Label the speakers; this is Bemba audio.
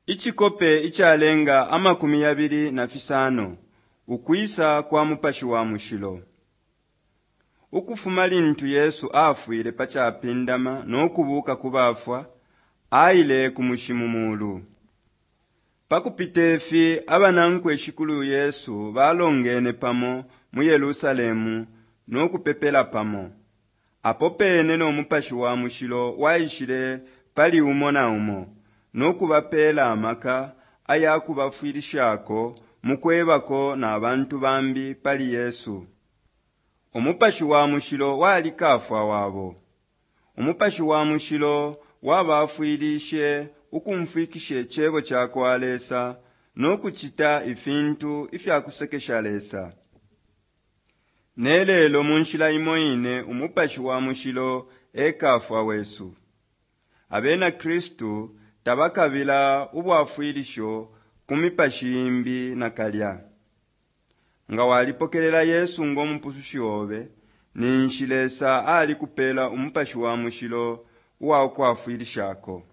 Speaker 1: Icikope icalenga 25 Ukwisa kwa Mupashi wa Mushilo. Ukufuma lintu Yesu afwile pa capindama no kubuuka ku bafwa, aile ku mushi mu mulu. Pa kupite fi abanankwe Shikulu Yesu balongene pamo mu Yerusalemu no kupepela pamo. Apo pene no Mupashi wa Mushilo waishile pali umo na umo no kubapeela amaka aya kubafwilishako mu kwebako na bantu bambi pali Yesu. Umupashi wa Mushilo wali kafwa wabo. Umupashi wa Mushilo wabafwilishe ukumfwikishe cebo ca kwa Lesa no kucita ifintu ifya kusekesha Lesa. Ne lelo mu nshila imo ine Umupashi wa Mushilo e kafwa wesu. Abena Kristu tabakabila ubwafwilisho ku mipashi imbi nakalya. Nga walipokelela Yesu ngo Mupusushi obe, ninshi Lesa alikupela Umupashi wa Mushilo uwa kukwafwilishako.